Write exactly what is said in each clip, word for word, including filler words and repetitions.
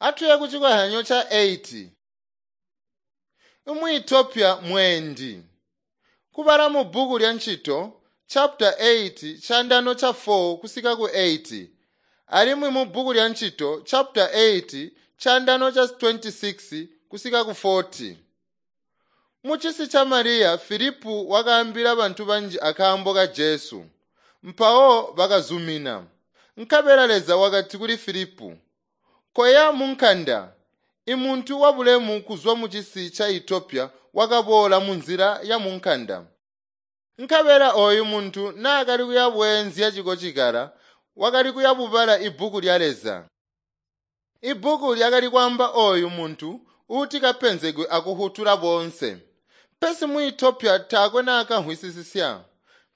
Atuye ku cikozyanyo ca eight. Umuethiopia mweendi. Kubala mu bbuku lya Ncito chapter eight chandano cha four kusika ku eight. Alimwi mu bbuku lya Ncito chapter eight chandano cha twenty-six kusika ku forty. Muchisi cha Mariya Filipu wakaambila bantu banji akaambo ka Jesu. Mpawo bakazumina. Nkabela Leza wakati kuli Filipu, "Koya munkanda." Imuntu wabulemu kuzwa mucisi cha Ethiopia wakaboola munzila ya munkanda. Nkabela oyu muntu naakali kuyabweenzya cikocikala, wakali kuyabubala ibbuku lya Leza. Ibbuku lyakali kwaamba oyu muntu uuti kapenzegwe akuhutula boonse. Pesi mu Ethiopia taakwe naakamvwisisisya.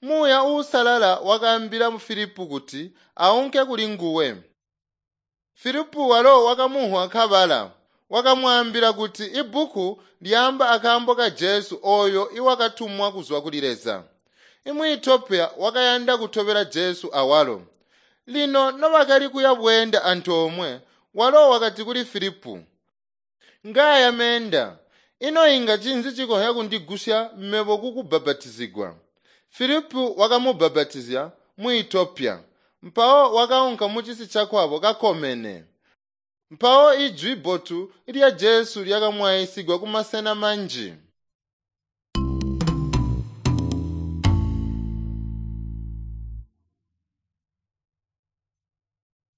Muuya Uusalala wakaambila Filipu kuti aunke kuli nguwe. Filipu walo wakamuhwa kabala, wakamwaambila kuti ibbuku lyaamba akaambo ka Jesu oyo iwakatumwa kuzwa kuli Leza. Imu Ethiopia wakayanda kutobela Jesu awalo. Lino nobakali kuya bweenda antoomwe, walo wakati kuli Filipu, "Ngaya meenda, ino inga cinzi cikonzya kundigusya mebo kukubhabhatizigwa?" Filipu wakamubhabhatizya mu Ethiopia. Mpawo wakaunka mucisi cakwabo kakomene. Mpawo ijwi bbotu lya Jesu lyakamwayisigwa kumasena manji.